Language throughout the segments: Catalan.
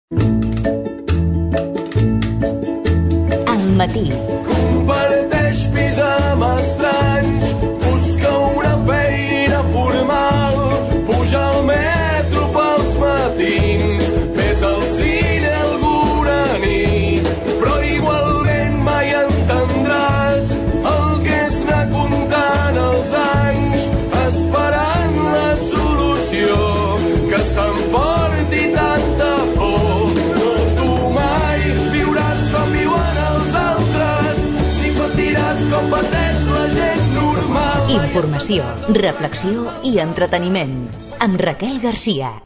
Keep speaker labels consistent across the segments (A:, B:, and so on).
A: Al matí.
B: Comparteix pis amb estranys, busca una feina formal, puja al metro pels matins, ves al cine alguna nit, però igualment mai entendràs el que és anar comptant els anys, esperant la solució que s'emporti tanta por. No, tu mai viuràs com viuen els altres, ni patiràs com pateix la gent normal.
A: Informació, reflexió i entreteniment. Amb Raquel Garcia.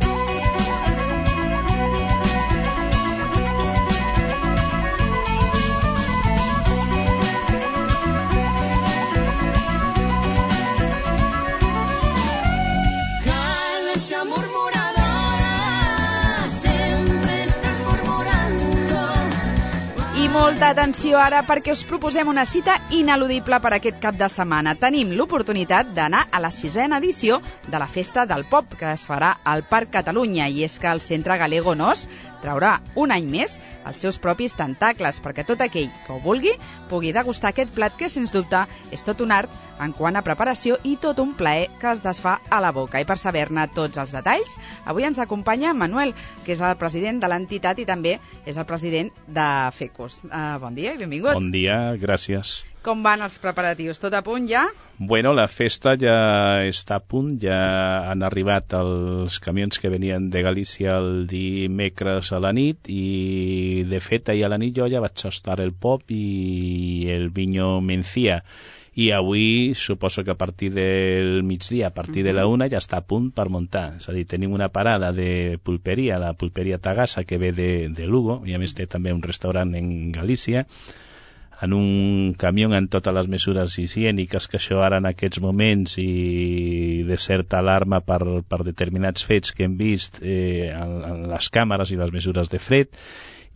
C: Molta atenció ara perquè us proposem una cita ineludible per aquest cap de setmana. Tenim l'oportunitat d'anar a la 6ª edició de la Festa del Pop, que es farà al Parc Catalunya, i és que el Centre Galego Nos traurà un any més els seus propis tentacles perquè tot aquell que ho vulgui pugui degustar aquest plat que, sens dubte, és tot un art en quant a preparació i tot un plaer que es desfà a la boca. I per saber-ne tots els detalls, avui ens acompanya Manuel, que és el president de l'entitat i també és el president de FECUS. Bon dia i benvingut.
D: Bon dia, gràcies.
C: Com van els preparatius? Tot a punt ja?
D: Bueno, la festa ja està a punt, ja han arribat els camions que venien de Galícia el dimecres a la nit i, de fet, ahir a la nit jo ja vaig tastar el pop i el viño Mencía. I avui suposo que a partir del migdia, a partir de la 1, ja està a punt per muntar. És a dir, tenim una parada de pulperia, la pulperia Tagassa, que ve de Lugo, i a més té també un restaurant en Galícia, en un camió amb totes les mesures higièniques, que això ara en aquests moments i de certa alarma per determinats fets que hem vist en les càmeres i les mesures de fred,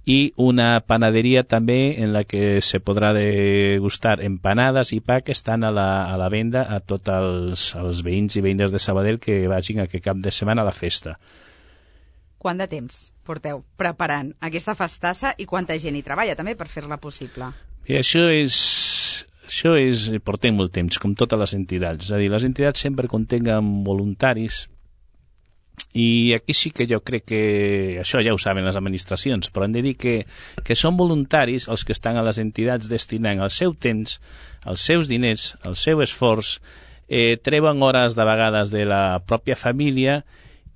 D: i una panaderia també en la que se podrà degustar empanades i pa que estan a la venda a tots els veïns i veïnes de Sabadell que vagin aquest cap de setmana a la festa.
C: Quant de temps porteu preparant aquesta festassa i quanta gent hi treballa també per fer-la possible?
D: I això és portem molt temps, com totes les entitats. És a dir, les entitats sempre continguen voluntaris i aquí sí que jo crec que això ja ho saben les administracions, però hem de dir que són voluntaris els que estan a les entitats destinant el seu temps, els seus diners, el seu esforç, treuen hores de vegades de la pròpia família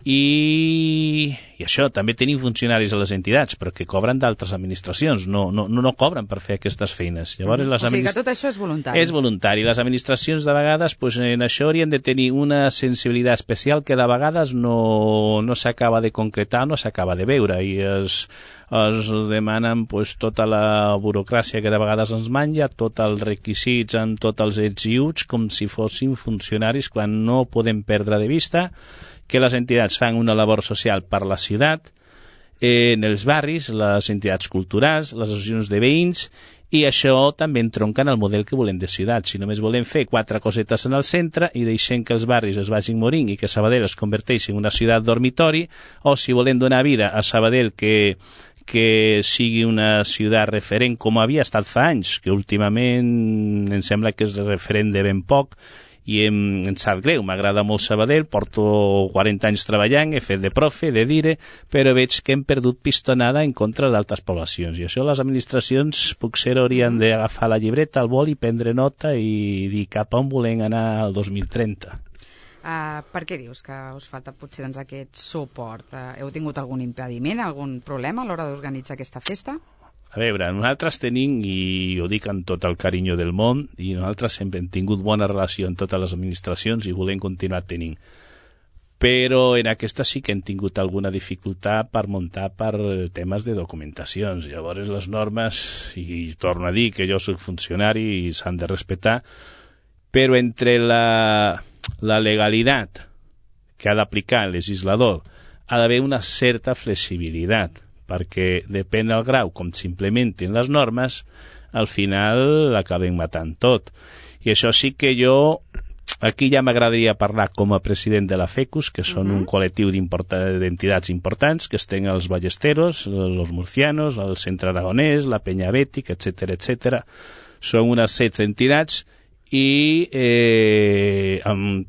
D: i això, també tenim funcionaris a les entitats, però que cobren d'altres administracions, no cobren per fer aquestes feines. Llavors,
C: o sigui que tot això és voluntari.
D: És voluntari. Les administracions de vegades en això haurien de tenir una sensibilitat especial que de vegades no s'acaba de concretar, no s'acaba de veure, i es demanen tota la burocràcia que de vegades ens menja, tots els requisits amb tots els ets i uts, com si fossin funcionaris, quan no podem perdre de vista que les entitats fan una labor social per la ciutat, en els barris, les entitats culturals, les associacions de veïns, i això també entronca en el model que volem de ciutat. Si només volem fer 4 cosetes en el centre i deixem que els barris es vagin morint i que Sabadell es converteixi en una ciutat dormitori, o si volem donar vida a Sabadell que sigui una ciutat referent com havia estat fa anys, que últimament em sembla que és referent de ben poc, i em sap greu, m'agrada molt Sabadell, porto 40 anys treballant, he fet de profe, de dire, però veig que hem perdut pistonada en contra d'altres poblacions, i això les administracions potser haurien d'agafar la llibreta, el boli, prendre nota i dir cap a on volem anar al 2030.
C: Per què dius que us falta potser aquest suport? Heu tingut algun impediment, algun problema a l'hora d'organitzar aquesta festa?
D: A veure, nosaltres tenim, i ho dic amb tot el carinyo del món, i nosaltres sempre hem tingut bona relació amb totes les administracions i volem continuar tenint. Però en aquesta sí que hem tingut alguna dificultat per muntar per temes de documentacions. Llavors les normes, i torno a dir que jo soc funcionari i s'han de respectar, però entre la legalitat que ha d'aplicar el legislador ha d'haver una certa flexibilitat, perquè depèn del grau com s'implementen les normes, al final l'acabem matant tot. I això sí que jo Aquí ja m'agradaria parlar com a president de la FECUS, que són un col·lectiu d'entitats importants, que estan els Ballesteros, els Murcianos, el Centre Aragonès, la Penya Bètic, etc. Són unes 16 entitats i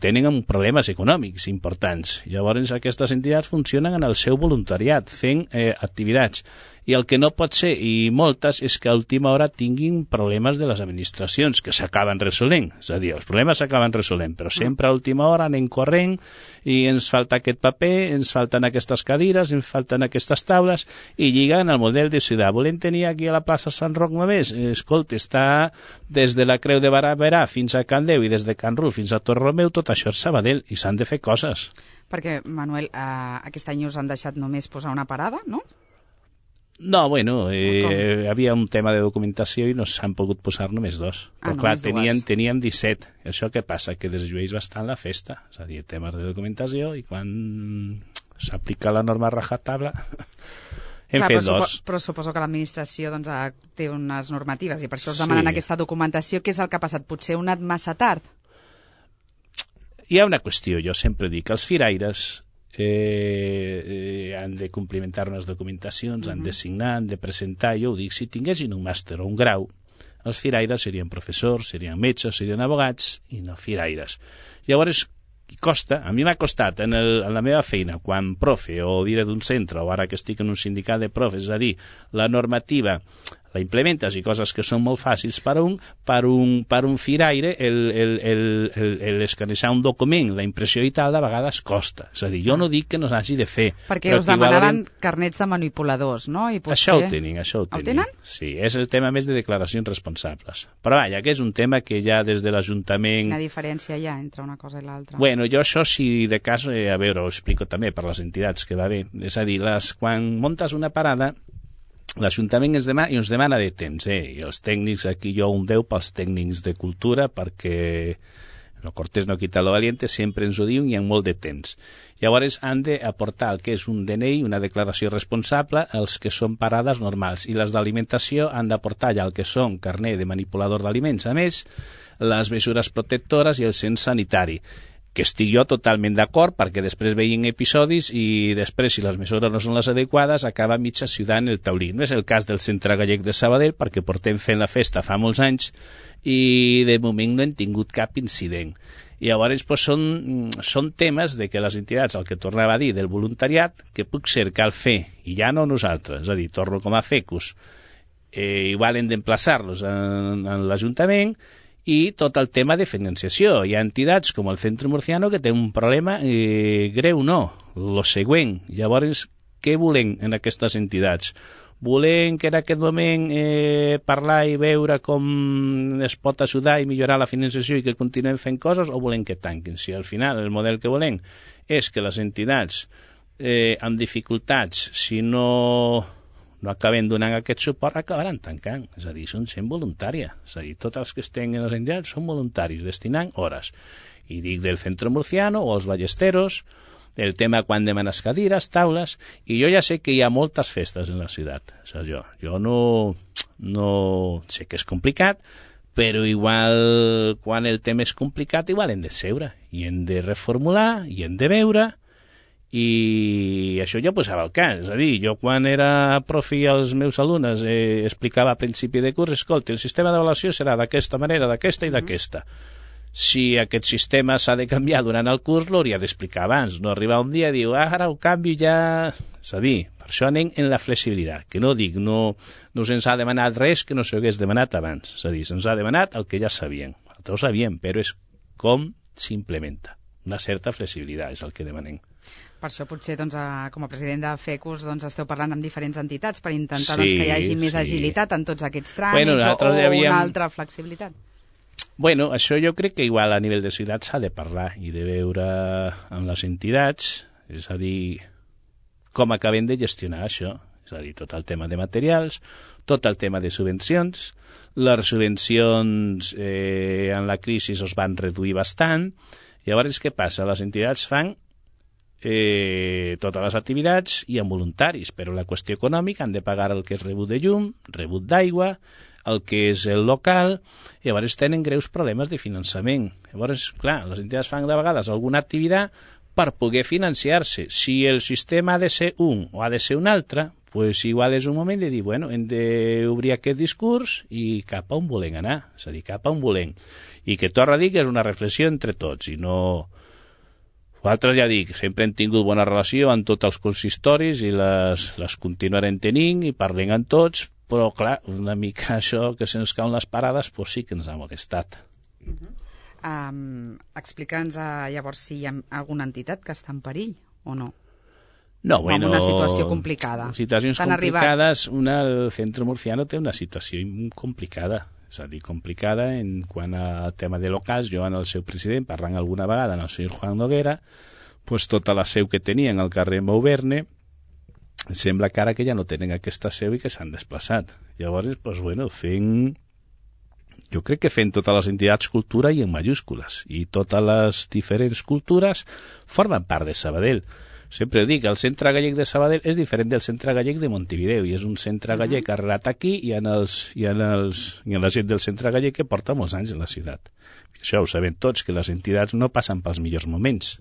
D: tenen problemes econòmics importants. Llavors aquestes entitats funcionen en el seu voluntariat, fent activitats. I el que no pot ser, i moltes, és que a última hora tinguin problemes de les administracions, que s'acaben resolent. És a dir, els problemes s'acaben resolent, però sempre a última hora anem corrent i ens falta aquest paper, ens falten aquestes cadires, ens falten aquestes taules, i lliguen al model de ciutat. Volem tenir aquí a la plaça Sant Roc només? Escolta, està des de la Creu de Barberà fins a Can Déu i des de Can Ruf fins a Torromeu, tot això és Sabadell, i s'han de fer coses.
C: Perquè, Manuel, aquest any us han deixat només posar una parada, no?
D: No, bueno, havia un tema de documentació i no s'han pogut posar només 2. Però clar, teníem 17. Això què passa? Que desllueix bastant la festa. És a dir, temes de documentació, i quan s'aplica la norma rajatabla hem fet 2.
C: Però suposo que l'administració té unes normatives i per això us demanen aquesta documentació. Què és el que ha passat? Potser heu anat massa tard?
D: Hi ha una qüestió, jo sempre dic, els firaires han de complimentar unes documentacions, han de signar, han de presentar. Jo ho dic, si tinguessin un màster o un grau, els firaires serien professors, serien metges, serien abogats, i no firaires. Llavors, costa, a mi m'ha costat en la meva feina, quan profe o dire d'un centre, o ara que estic en un sindicat de profes, és a dir, la normativa la implementes i coses que són molt fàcils per un firaire, l'escanejar un document, la impressió i tal, de vegades costa. És a dir, jo no dic que no s'hagi de fer.
C: Perquè us demanaven carnets de manipuladors, no? I potser...
D: Això ho tenen.
C: El tenen?
D: Sí, és el tema més de declaracions responsables. Però vaja, que és un tema que ja des de l'Ajuntament...
C: Quina diferència hi ha entre una cosa i l'altra?
D: Bueno, jo això, si de cas, a veure, ho explico també per les entitats que va bé. És a dir, quan muntes una parada, l'Ajuntament ens demana de temps, i els tècnics, aquí jo un 10 pels tècnics de cultura, perquè lo cortés no quita lo valiente, sempre ens ho diuen i hi ha molt de temps. Llavors han d'aportar el que és un DNI, una declaració responsable, els que són parades normals, i les d'alimentació han d'aportar ja el que són carnet de manipulador d'aliments, a més, les mesures protectores i el cens sanitari, que estic jo totalment d'acord, perquè després veien episodis i després, si les mesures no són les adequades, acaba mitja ciutat en el taulí. No és el cas del Centre Gallec de Sabadell, perquè portem fent la festa fa molts anys i de moment no hem tingut cap incident. I llavors són temes de que les entitats, el que tornava a dir del voluntariat, que puc ser cal fer, i ja no nosaltres, és a dir, torno com a FECUS, igual hem d'emplaçar-los en l'Ajuntament, i tot el tema de financiació. Hi ha entitats com el Centre Murciano que té un problema greu, lo següent. Llavors, què volem en aquestes entitats? Volem que en aquest moment parlar i veure com es pot ajudar i millorar la financiació i que continuem fent coses, o volem que tanquin? Si al final el model que volem és que les entitats amb dificultats, si no acaben donant aquest suport, acabaran tancant. És a dir, són sent voluntària. És a dir, tots els que estem en les entitats són voluntaris, destinant hores. I dic del Centre Murciano o els Ballesteros, el tema quan demanes cadires, taules, i jo ja sé que hi ha moltes festes en la ciutat. O sigui, jo no sé que és complicat, però igual quan el tema és complicat, igual hem de seure, i hem de reformular, i hem de veure, i això ja posava el cas. És a dir, jo quan era profe als meus alumnes explicava a principi de curs, escolta, el sistema d'avaluació serà d'aquesta manera, d'aquesta i d'aquesta. Si aquest sistema s'ha de canviar durant el curs, l'hauria d'explicar abans, no arribar un dia i dir, ara ho canvi ja... És a dir, per això anem en la flexibilitat, que no dic, no se'ns ha demanat res que no s'hagués demanat abans. És a dir, se'ns ha demanat el que ja sabíem. Nosaltres ho sabíem, però és com s'implementa. Una certa flexibilitat és el que demanem.
C: Per això potser com a president de FECUS esteu parlant amb diferents entitats per intentar que hi hagi més agilitat en tots aquests tràmits o una altra flexibilitat.
D: Bueno, això jo crec que igual a nivell de ciutat s'ha de parlar i de veure amb les entitats, és a dir, com acabem de gestionar això. És a dir, tot el tema de materials, tot el tema de subvencions. Les subvencions en la crisi es van reduir bastant. Llavors, què passa? Les entitats fan totes les activitats i amb voluntaris, però la qüestió econòmica han de pagar el que és rebut de llum, rebut d'aigua, el que és el local, i llavors tenen greus problemes de finançament. Llavors, clar, les entitats fan de vegades alguna activitat per poder financiar-se. Si el sistema ha de ser un o ha de ser un altre, pues igual és un moment de dir, bueno, hem d'obrir aquest discurs i cap a on volem anar, és a dir, cap a on volem. I que torno a dir que és una reflexió entre tots, i no... Nosaltres, ja dic, sempre hem tingut bona relació amb tots els consistoris i les continuarem tenint i parlem amb tots, però, clar, una mica això que se'ns cauen les parades, pues sí que ens ha molestat.
C: Explica'ns llavors si hi ha alguna entitat que està en perill o no.
D: No, bueno,
C: amb una situació complicada.
D: Situacions complicades, el Centro Murciano té una situació complicada, és a dir, complicada en quant a tema de locals. Jo en el seu president, parlant alguna vegada en el senyor Juan Noguera, pues tota la seu que tenien al carrer Mauverne, sembla que ara que ja no tenen aquesta seu i que s'han desplaçat. Llavors, pues, bueno, jo crec que fent totes les entitats cultura i en majúscules, i totes les diferents cultures formen part de Sabadell. Sempre dic, el centre gallec de Sabadell és diferent del centre gallec de Montevideo, i és un centre gallec arrelat aquí i en la gent del centre gallec que porta molts anys en la ciutat. Això ho sabem tots, que les entitats no passen pels millors moments.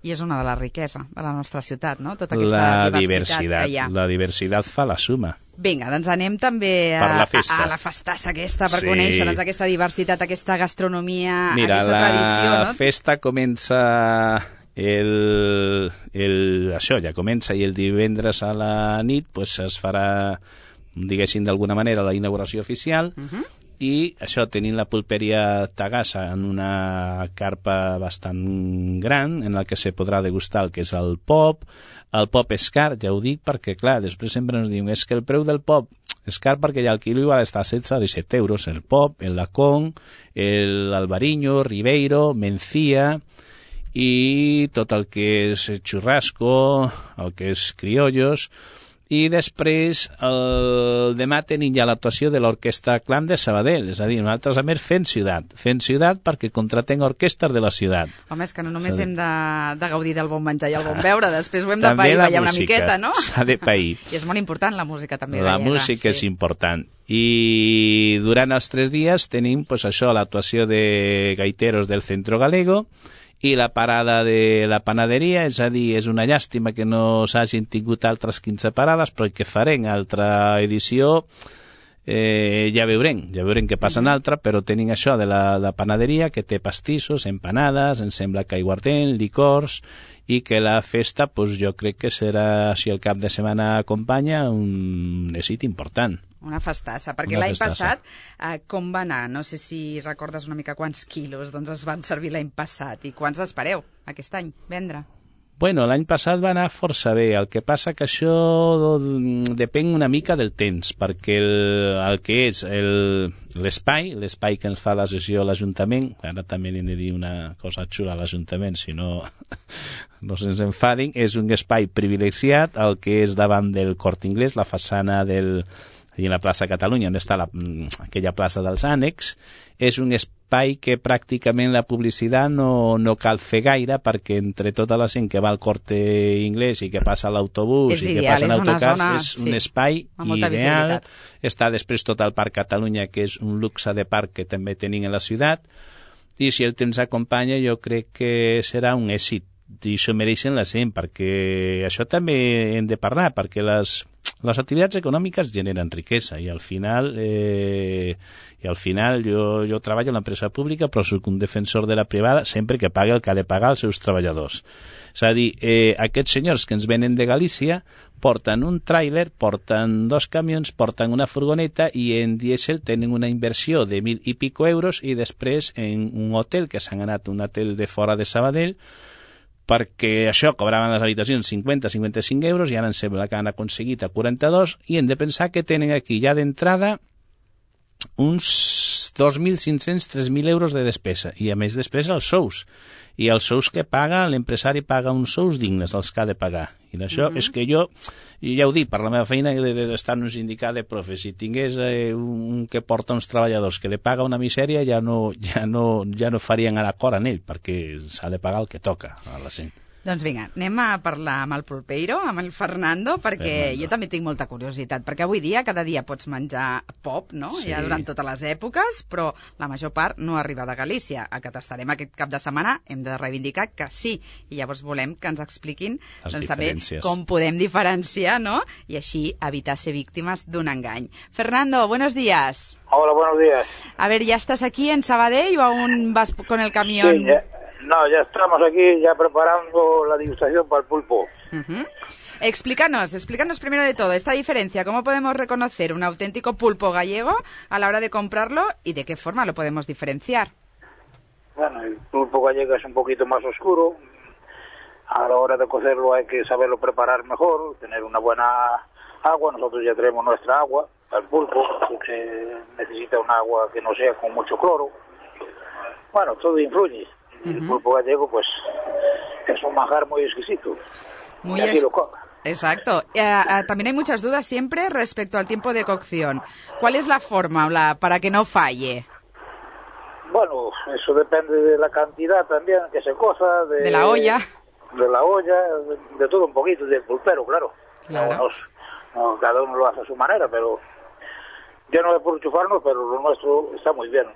C: I és una de la riquesa de la nostra ciutat, no? Tota aquesta diversitat que hi ha.
D: La diversitat fa la suma.
C: Vinga, doncs anem també a la festassa aquesta, per conèixer aquesta diversitat, aquesta gastronomia, aquesta tradició, no?
D: La festa comença ja comença, i el divendres a la nit pues, es farà, diguéssim, d'alguna manera la inauguració oficial, i això, tenint la pulperia Tagassa en una carpa bastant gran en la que se podrà degustar el que és el pop és car, ja ho dic, perquè clar, després sempre ens diuen, és que el preu del pop és car perquè ja el quilo igual està a 16 o 17 euros, el pop, el lacón, l'albariño, ribeiro, mencía, i tot el que és churrasco, el que és criollos. I després, demà tenim ja l'actuació de l'Orquestra Clan de Sabadell, és a dir, nosaltres a més fent ciutat perquè contratenc orquestres de la ciutat.
C: Home, és que no només hem de gaudir del bon menjar i el bon beure, després ho hem de pair ballar una miqueta, no?
D: S'ha de pair.
C: I és molt important la música també.
D: La música és important. I durant els 3 dies tenim pues, això, l'actuació de gaiteros del Centro Galego, i la parada de la panaderia, és a dir, és una llàstima que no s'hagin tingut altres 15 parades, però que farem altra edició, ja veurem què passa en altra, però tenim això de la panaderia, que té pastissos, empanades, em sembla que aiguardent, licors, i que la festa, pues, jo crec que serà, si el cap de setmana acompanya, un èxit important.
C: Una festassa, perquè l'any passat com va anar? No sé si recordes una mica quants quilos es van servir l'any passat i quants espereu aquest any vendre?
D: Bueno, l'any passat va anar força bé, el que passa que això depèn una mica del temps, perquè el que és l'espai que ens fa la sessió a l'Ajuntament, ara també hem de dir una cosa xula a l'Ajuntament, si no se'ns enfadin, és un espai privilegiat, el que és davant del Corte Inglés, la façana i en la plaça Catalunya, on està aquella plaça dels ànecs, és un espai que pràcticament la publicitat no cal fer gaire, perquè entre tota la gent que va al Corte Inglés i que passa l'autobús i que passa en autocars, és un espai ideal. Està després tot el Parc Catalunya, que és un luxe de parc que també tenim a la ciutat, i si el temps acompanya jo crec que serà un èxit, i això mereixen la gent, perquè això també hem de parlar, perquè les activitats econòmiques generen riquesa, i al final jo treballo en l'empresa pública, però soc un defensor de la privada sempre que pagui el que ha de pagar als seus treballadors. És a dir, aquests senyors que ens venen de Galícia porten un tràiler, porten 2 camions, porten una furgoneta, i en dièsel tenen una inversió de 1.000 i pico euros, i després en un hotel, que s'han anat un hotel de fora de Sabadell, perquè això cobraven les habitacions 50-55 euros, i ara em sembla que han aconseguit a 42, i hem de pensar que tenen aquí ja d'entrada uns 2.500-3.000 euros de despesa, i a més després els sous, i els sous que paga, l'empresari paga uns sous dignes, els que ha de pagar. I això és que jo ja ho dic, per la meva feina d'estar en un sindicat de profes, si tingués un que porta uns treballadors que li paga una misèria, ja no farien a l'acord en ell, perquè s'ha de pagar el que toca a la gent.
C: Doncs vinga, anem a parlar amb el Pulpeiro, amb el Fernando, perquè jo també tinc molta curiositat, perquè avui dia, cada dia pots menjar pop, no?
D: Sí.
C: Ja durant totes les èpoques, però la major part no arriba de Galícia. A que tastarem aquest cap de setmana hem de reivindicar que sí, i llavors volem que ens expliquin doncs, també com podem diferenciar, ¿no? I així evitar ser víctimes d'un engany. Fernando, buenos días.
E: Hola, buenos días.
C: A ver, ¿ya estás aquí en Sabadell o aún vas con el camión?
E: Sí, ya estamos aquí ya preparando la degustación para el pulpo.
C: Uh-huh. Explícanos primero de todo esta diferencia. ¿Cómo podemos reconocer un auténtico pulpo gallego a la hora de comprarlo y de qué forma lo podemos diferenciar?
E: Bueno, el pulpo gallego es un poquito más oscuro. A la hora de cocerlo hay que saberlo preparar mejor, tener una buena agua. Nosotros ya tenemos nuestra agua. El pulpo que necesita un agua que no sea con mucho cloro. Bueno, todo influye. El pulpo gallego, pues, es un manjar muy exquisito.
C: Muy
E: y así lo come.
C: Exacto. También hay muchas dudas siempre respecto al tiempo de cocción. ¿Cuál es la fórmula para que no falle?
E: Bueno, eso depende de la cantidad también que se coza.
C: De la olla.
E: De la olla, de todo un poquito, del pulpero, claro. Cada uno lo hace a su manera, pero yo no es por chufarnos, pero lo nuestro está muy bien.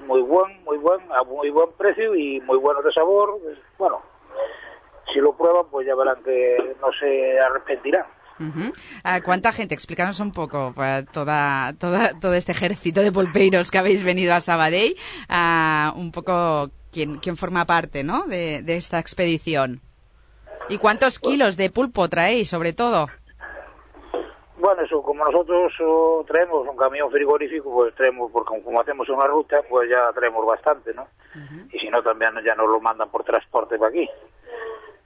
E: Muy buen precio y muy bueno de sabor. Bueno, si lo prueban, pues ya verán que no se arrepentirán.
C: Uh-huh. ¿Cuánta gente? Explícanos un poco todo este ejército de pulpeiros que habéis venido a Sabadell, un poco quién forma parte, ¿no? de esta expedición. ¿Y cuántos kilos de pulpo traéis, sobre todo?
E: Bueno, eso, como nosotros traemos un camión frigorífico, pues traemos, porque como hacemos una ruta, pues ya traemos bastante, ¿no? Uh-huh. Y si no, también ya nos lo mandan por transporte para aquí.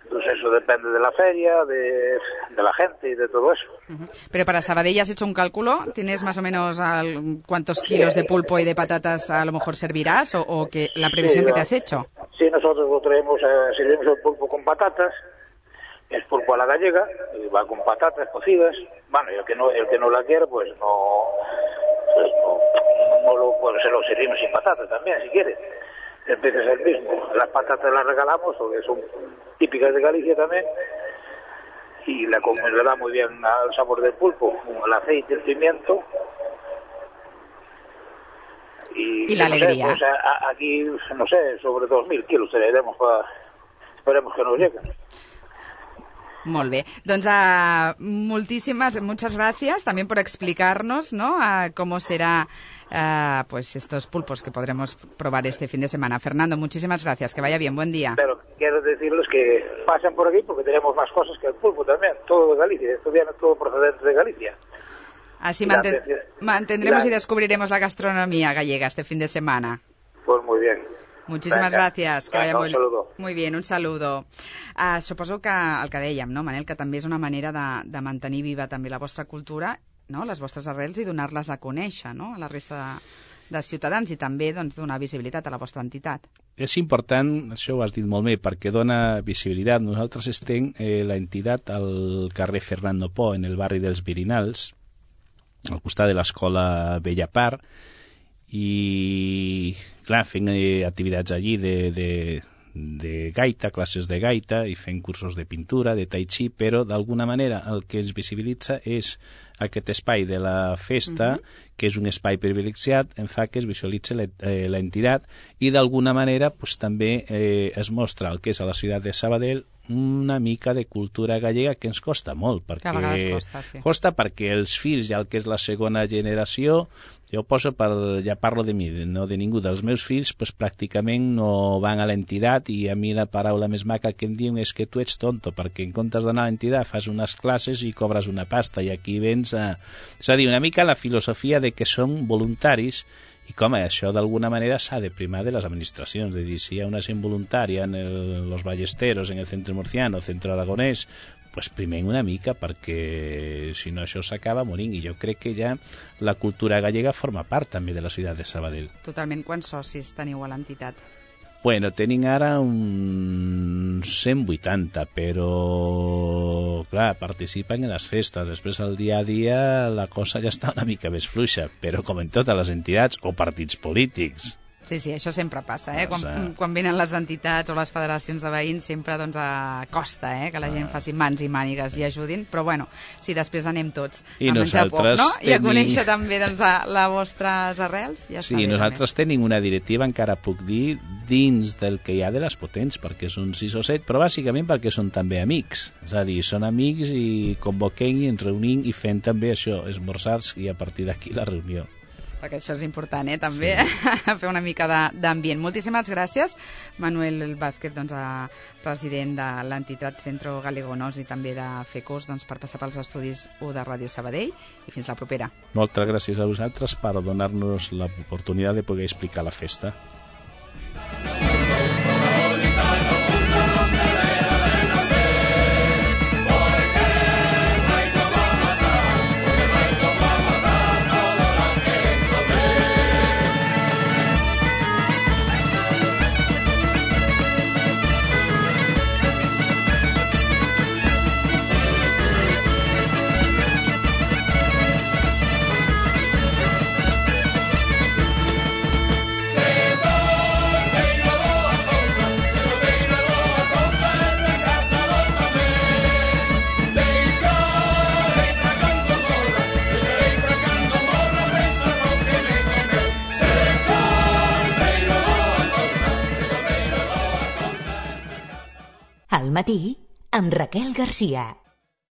E: Entonces eso depende de la feria, de la gente y de todo eso.
C: Uh-huh. Pero para Sabadell has hecho un cálculo, ¿tienes más o menos cuántos kilos de pulpo y de patatas a lo mejor servirás o que la previsión que te has hecho?
E: Sí, nosotros lo traemos, servimos el pulpo con patatas. Es pulpo a la gallega, va con patatas cocidas. Bueno, y el que no la quiere, pues se lo servimos sin patatas también, si quiere. El pez es el mismo. Las patatas las regalamos, porque son típicas de Galicia también. Y le da muy bien al sabor del pulpo, el aceite, el pimiento.
C: Y la alegría.
E: Pues aquí, no sé, sobre 2.000 kilos traeremos esperemos que nos lleguen.
C: Molt bé. Doncs muchas gracias también por explicarnos, ¿no? Cómo será pues estos pulpos que podremos probar este fin de semana. Fernando, muchísimas gracias. Que vaya bien. Buen día.
E: Pero quiero decirles que pasen por aquí porque tenemos más cosas que el pulpo también. Todo de Galicia. Esto viene todo procedente de Galicia.
C: Así mantendremos y descubriremos la gastronomía gallega este fin de semana.
E: Pues muy bien.
C: Muchísimas gràcies. Que vaya
E: un saludo.
C: Muy bien, un saludo. Suposo que el que dèiem, no, Manel, que també és una manera de mantenir viva també la vostra cultura, no, les vostres arrels i donar-les a conèixer, no, a la resta de ciutadans i també doncs, donar visibilitat a la vostra entitat.
D: És important, això ho has dit molt bé, perquè dona visibilitat. Nosaltres estem l'entitat al carrer Fernando Po, en el barri dels Virinals, al costat de l'escola Bellapar, i clar, fent activitats allí de gaita, classes de gaita i fent cursos de pintura, de tai chi, però d'alguna manera el que es visibilitza és aquest espai de la festa, que és un espai privilegiat, en fa que es visualitzi l'entitat i d'alguna manera pues, també es mostra el que és a la ciutat de Sabadell una mica de cultura gallega que ens costa molt, perquè
C: que a vegades costa, sí.
D: Costa perquè els fills, ja el que és la segona generació, jo poso ja parlo de mi, no de ningú dels meus fills, pues pràcticament no van a l'entitat i a mi la paraula més maca que em diuen és que tu ets tonto, perquè en comptes d'anar a l'entitat fas unes classes i cobres una pasta i aquí vens a... És a dir, una mica la filosofia de que són voluntaris i com això d'alguna manera s'ha de primar de les administracions, de dir, si hi ha una gent voluntària en los ballesteros, en el centre murciano, centre aragonès, pues primem una mica perquè si no això s'acaba morint i jo crec que ja la cultura gallega forma part també de la ciutat de Sabadell.
C: Totalment. Quants socis teniu a l'entitat?
D: Bueno, tenim ara uns 180, però, clar, participen en les festes. Després, al dia a dia, la cosa ja està una mica més fluixa, però com en totes les entitats o partits polítics.
C: Sí, això sempre passa, quan venen les entitats o les federacions de veïns sempre costa que la gent faci mans i mànigues i ajudin, però bueno, si després anem tots a menjar pop, no? I a conèixer també les vostres arrels, ja està bé.
D: Sí, nosaltres tenim una directiva, encara puc dir, dins del que hi ha de les potents, perquè són 6 o 7, però bàsicament perquè són també amics, és a dir, són amics i convoquem i ens reunim i fem també això, esmorzars, i a partir d'aquí la reunió.
C: Perquè això és important, també, fer una mica d'ambient. Moltíssimes gràcies, Manuel Vázquez, president de l'entitat Centro Galegonos i també de FECOS, per passar pels estudis 1 de Ràdio Sabadell, i fins la propera.
D: Moltes gràcies a vosaltres per donar-nos l'oportunitat de poder explicar la festa.
A: Al matí, amb Raquel Garcia.